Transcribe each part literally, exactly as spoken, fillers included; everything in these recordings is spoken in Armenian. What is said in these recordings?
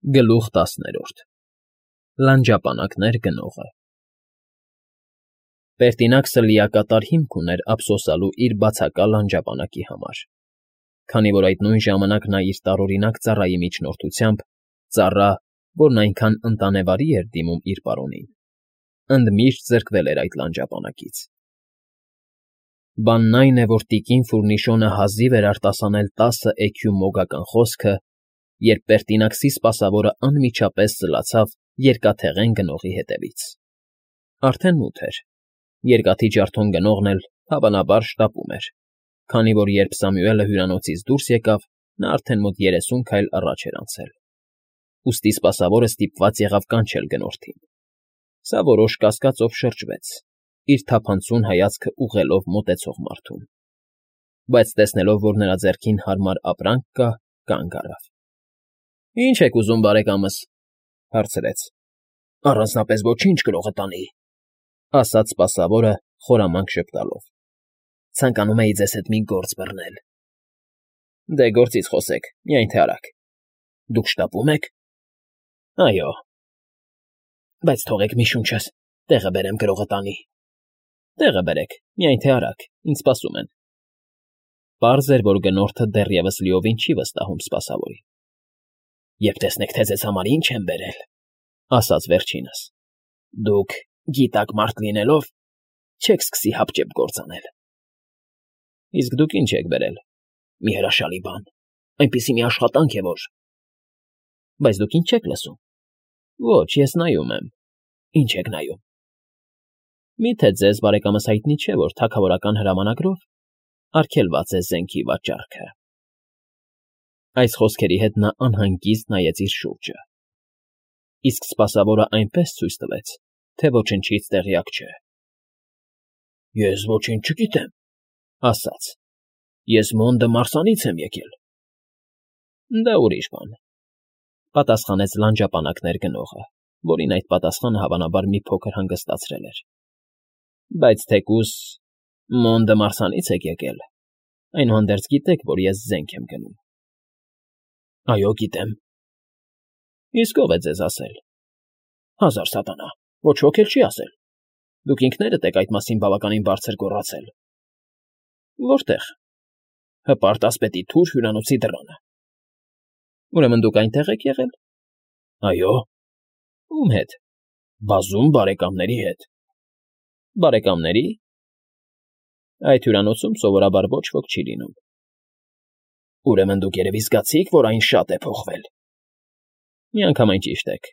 Գլուխ տասներորդ Լանջապանակներ գնողը Պերտինաքսը լիակատար հիմք ուներ ափսոսալու իր բացակա լանջապանակի համար, քանի որ այդ նույն ժամանակ նա իր տարօրինակ ծառայի միջնորդությամբ, ծառա, որն այնքան ընտանեվարի էր դիմում իր պարոնին, ընդմիշտ զրկվել էր այդ լանջապանակից։ Բանն այն է, որ տիկին Ֆուրնիշոնը հազիվ էր արտասանել տասը էքյու մոգական խոսքը, երբ Պերտինաքսի սպասավորը անմիջապես սլացավ երկաթեղեն գնողի հետևից։ Արդեն մութ էր, երկաթի ջարդոն գնողն էլ, հավանաբար, շտապում էր, քանի որ երբ Սամուելը հյուրանոցից դուրս եկավ, նա արդեն մոտ երեսուն քայլ առաջ էր անցել, ուստի սպասավորը ստիպված եղավ կանչել գնորդին։ Սա որոշ կասկածով շրջվեց, իր թափանցուն հայացքը ուղղելով մոտեցող մարդուն, բայց տեսնելով, որ նրա ձեռքին հարմար ապրանք կա, կանգ առավ։ ֊ Ի՞նչ եք ուզում, բարեկամս,֊ հարցրեց։ ֊ Առանձնապես ոչինչ, գրողը տանի,֊ ասաց սպասավորը, խորամանկ ժպտալով։ ֊ Ցանկանում էի ձեզ հետ մի գործ բռնել։ ֊ Դե, գործից խոսեք, միայն թե արագ։ ֊ Դուք շտապո՞ւմ եք։ ֊ Այո։ ֊ Բայց թողեք մի շունչս տեղը բերեմ, գրողը տանի։ ֊ Տեղը բերեք, միայն թե արագ, ինձ սպասում են։ Պարզ էր, որ գնորդը դեռևս լիովին չի վստահում սպասավորին։ ֊ Երբ տեսնեք, թե ձեզ համար ինչ եմ բերել,֊ ասաց վերջինս,֊ դուք, գիտակ մարդ լինելով, չեք սկսի հապճեպ գործ անել։ ֊ Իսկ դուք ինչ եք բերել։ ֊ Մի հրաշալի բան, այնպիսի մի աշխատանք է, որ… ֊ Բայց դուք ինչ չեք լսում։ ֊ Ոչ, ես նայում եմ։ ֊ Ինչ եք նայում։ ֊ Մի՞թե ձեզ, բարեկամս, հայտնի չէ, որ թագավորական հրամանագրով արգելված է զենքի վաճառքը։ Այս խոսքերի հետ նա անհանգիստ նայեց իր շուրջը, իսկ սպասավորը այնպես ցույց տվեց, թե ոչնչից տեղյակ չէ։ ֊ Ես ոչինչ չգիտեմ,֊ ասաց,֊ ես Մոնդը Մարսանից եմ եկել։ ֊ Դա ուրիշ բան,֊ պատասխանեց լանջապանակներ գնողը, որին այդ պատասխանը հավանաբար մի փոքր հանգստացրել էր։ ֊ Բայց թեկուզ Մոնդը Մարսանից եք եկել, այնուհանդերձ գիտեք, որ ես զենք եմ գնում։ ֊ Այո, գիտեմ։ ֊ Իսկ ո՞վ է ձեզ ասել։ ֊ Հազար սատանա, ոչ ոք էլ չի ասել։ Դուք ինքներդ եք այդ մասին բավականին բարձր գոռացել։ ֊ Որտե՞ղ։ ֊ Հպարտ ասպետի թուր հյուրանոցի դռանը։ ֊ Ուրեմն դուք այնտեղ եք եղել։ ֊ Այո։ ֊ Ո՞ւմ հետ։ ֊ Բազում բարեկամների հետ։ ֊ Բարեկամների՞։ ֊ Այդ հյուրանոցում սովորաբար ոչ ոք չի լինում։ ֊ Ուրեմն դուք երևի զգացիք, որ այն շատ է փոխվել։ ֊ Միանգամայն ճիշտ եք։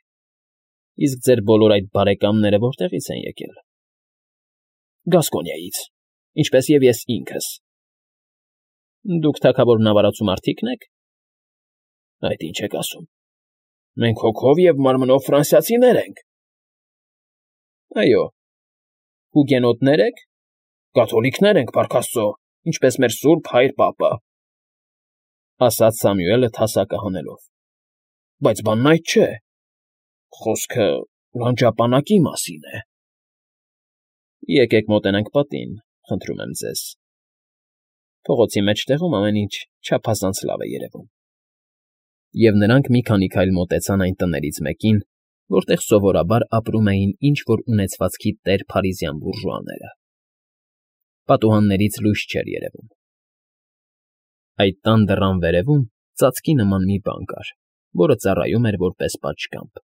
Իսկ ձեր բոլոր այդ բարեկամները որտեղի՞ց են եկել։ ֊ Գասկոնիայից, ինչպես և ես ինքս։ ֊ Դուք թագավորն ավարացու մարդի՞կն եք։ ֊ Այդ ինչ եք ասում։ Մենք հոգով և մարմնով ֆրանսիացիներ ենք։ ֊ Այո։ Հուգենոտնե՞ր եք։ ֊ Կաթոլիկներ ենք, փառք աստծո, ինչպես մեր սուրբ հայր պապը,֊ ասաց Սամուելը թասակը հանելով։ ֊ Բայց բանն այդ չէ։ Խոսքը լանջապանակի մասին է։ ֊ Եկեք մոտենանք պատին, խնդրում եմ ձեզ։ Փողոցի մեջտեղում ամեն ինչ չափազանց լավ է երևում։ Եվ նրանք մի քանի քայլ մոտեցան այն տներից մեկին, որտեղ սովորաբար ապրում էին ինչ֊որ ունեցվածքի տեր փարիզյան բուրժուաները։ Պատուհաններից լույս չէր երևում։ Այդ տան դռան վերևում ծածկի նման մի բան կար, որը ծառայում էր որպես պատշգամբ,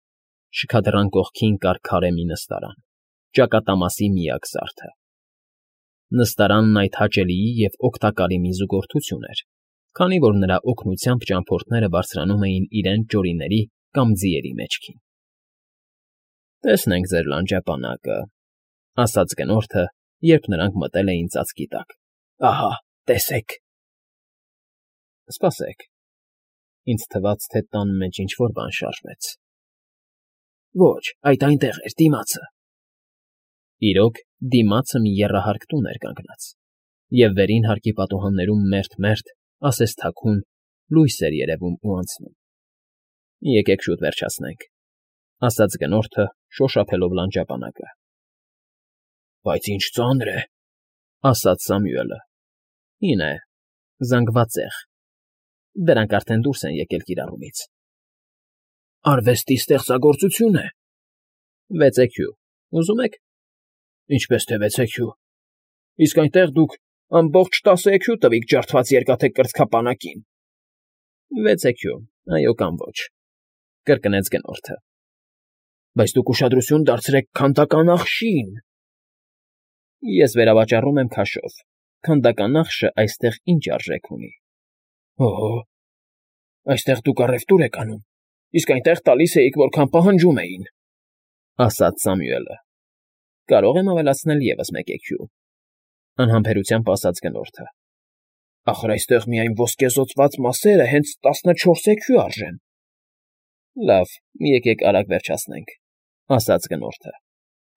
շքադռան կողքին կար քարե մի նստարան, ճակատամասի միակ զարդը։ Նստարանն այդ հաճելիի և օգտակարի մի զուգորդություն էր, քանի որ նրա օգնությամբ ճամփորդները բարձրանում էին իրենց ջորիների կամ ձիերի մեջքին։ ֊ Տեսնենք ձեր լանջապանակը,֊ ասաց գնորդը, երբ նրանք մտել էին ծածկի տակ։ ֊ Ահա, տեսեք։ ֊ Սպասեք, ինձ թվաց, թե տան մեջ ինչ֊որ բան շարժվեց։ ֊ Ոչ, այդ այնտեղ էր, դիմացը։ Իրոք, դիմացը մի եռահարկ տուն էր կանգնած, և վերին հարկի պատուհաններում մերթ֊մերթ, ասես թաքուն, լույս էր երևում ու անցնում։ ֊ Եկեք շուտ վերջացնենք,֊ ասաց գնորդը, շոշափելով լանջապանակը։ ֊ Բայց ինչ ծանր է,֊ ասաց Սամուելը։ ֊ Հին է, զանգված ծեղ։ Դրանք արդեն դուրս են եկել կիրառումից։ ֊ Արվեստի ստեղծագործություն է։ Վեց էքյու։ Ուզում եք։ Ինչպես թե վեց էքյու։ Իսկ այնտեղ դուք ամբողջ տասը էքյու տվիք ջարդված երկաթե կրծքապանակին։ Վեց էքյու, այո կամ ոչ, կրկնեց գնորդը։ Բայց դուք ուշադրություն դարձրեք քանդական ախշին։ Ես վերավաճառում եմ քաշով։ Քանդական ախշը այստեղ ինչ արժեք ունի։ Օհո, այստեղ դուք առևտուր եք անում, իսկ այնտեղ տալիս էիք, որքան պահանջում էին, ասաց Սամուելը։ Կարող եմ ավելացնել ևս մեկ էքյու, անհամբերությամբ ասաց գնորդը։ Ախր այստեղ միայն ոսկեզօծված մասերը հենց տասնչորս էքյու արժեն։ Լավ, եկեք արագ վերջացնենք, ասաց գնորդը,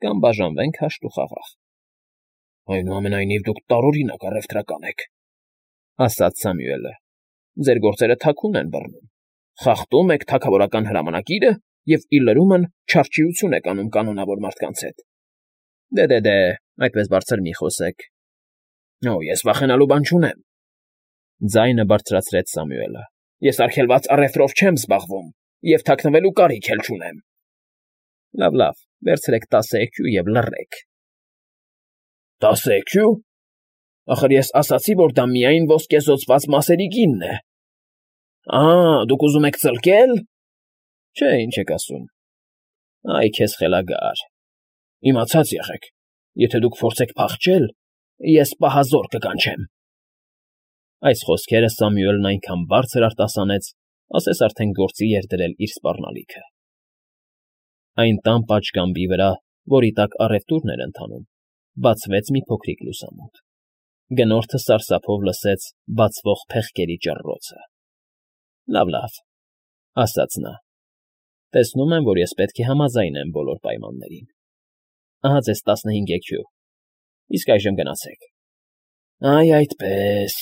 կամ բաժանվենք հաշտ ու խաղաղ։ Այնուամենայնիվ դուք տարօրինակ առևտրական եք, ասաց Սամուելը։ Ձեր գործերը թաքուն են բռնում, խախտում եք թագավորական հրամանակիրը և ի լրումն չարչիություն եք անում կանոնավոր մարդկանց հետ։ Դե-դե-դե, այդպես բարձր մի խոսեք։ Օ, ես վախենալու բան չունեմ, ձայնը բարձրացրեց Սամուելը։ Ես արգելված առևտրով չեմ զբաղվում և թաքնվելու կարիք էլ չունեմ։ Լավ, լավ, վերցրեք տասը էքյու և լռեք։ Տասը էքյու։ Ախր ես ասացի, որ դա միայն ոսկեզօծված մասերի գինն է։ Ա, դուք ուզում եք ծլկել։ Չէ, ինչ եք ասում։ Այ քեզ խելագար։ Իմացած եղեք, եթե դուք փորձեք փախչել, ես պահազոր կկանչեմ։ Այս խոսքերը Սամուելն այնքան բարձր արտասանեց, ասես արդեն գործի էր դրել իր սպառնալիքը։ Այն տան պատշգամբի վրա, որի տակ առևտուրն էր ընթանում, բացվեց մի փոքրիկ լուսամուտ։ Գնորդը սարսափով լսեց բացվող փեղկերի ճռռոցը։ Լավ, լավ, ասաց նա։ Տեսնում եմ, որ ես պետք է համաձայնեմ բոլոր պայմաններին։ Ահա ձեզ տասնհինգ էքյու։ Իսկ այժմ գնացեք։ Այ այդպես,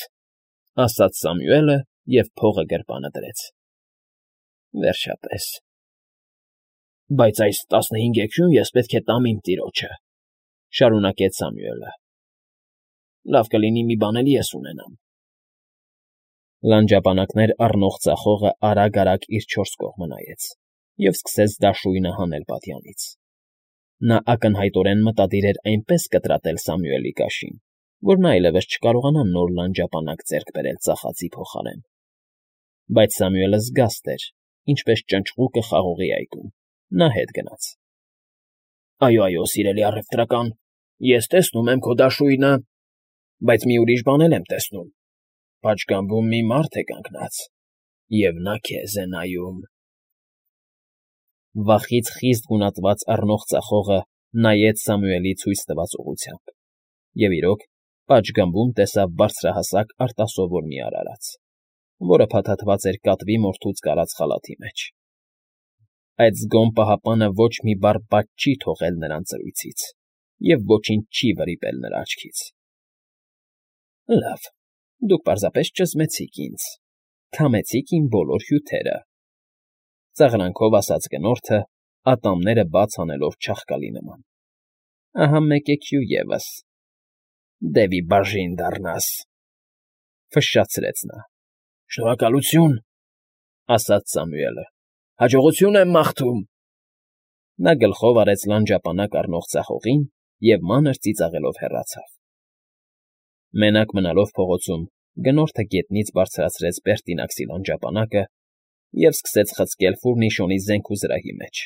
ասաց Սամուելը և փողը գրպանը դրեց։ Վերջապես։ Բայց այս տասնհինգ էքյուն ես պետք է տամ իմ տիրոջը, շարունակեց Սամուելը։ Լավ կլինի մի բան էլ ես ունենամ։ Լանջապանակներ առնող ծախողը արագ֊արագ իր չորս կողմը նայեց և սկսեց դաշույնը հանել պատյանից։ Նա ակնհայտորեն մտադիր էր այնպես կտրատել Սամուելի կաշին, որ նա այլևս չկարողանա նոր լանջապանակ ձեռք բերել ծախածի փոխարեն։ Բայց Սամուելը զգաստ էր, ինչպես ճնճղուկը խաղողի այգում, նա հետ գնաց։ Այո, այո, սիրելի առևտրական, ես տեսնում եմ քո դաշույնը, բայց մի ուրիշ բան էլ եմ տեսնում։ Պատշգամբում մի մարդ է կանգնած, և նա քեզ է նայում։ Վախից խիստ գունատված առնող ծախողը նայեց Սամուելի ցույց տված ուղղությամբ, և իրոք, պատշգամբում տեսավ բարձրահասակ արտասովոր մի արարած, որը փաթաթված էր կատվի մորթուց կարած խալաթի մեջ։ Այդ զգոմ պահապանը ոչ մի բառ բաց չի թողել նրան ծրույցից և ոչինչ չի վրիպել նրա աչքից։ Լավ, դուք պարզապես ճզմեցիք ինձ, քամեցիք իմ բոլոր հյութերը, ծաղրանքով ասաց գնորդը, ատամները բաց անելով չաղկալի նման։ Ահա մեկ էքյու ևս։ Դևի բաժին դառնաս, ֆշշացրեց նա։ Շնորհակալություն, ասաց Սամուելը։ Հաջողություն եմ մաղթում։ Նա գլխով արեց լանջապանակ առնող ծախողին և մանր ծիծաղելով հեռացավ։ Մենակ մնալով փողոցում, գնորդը գետնից բարձրացրեց Բերտինաքսի լանջապանակը և սկսեց խցկել ֆուրնիշոնի զենք ու զրահի մեջ։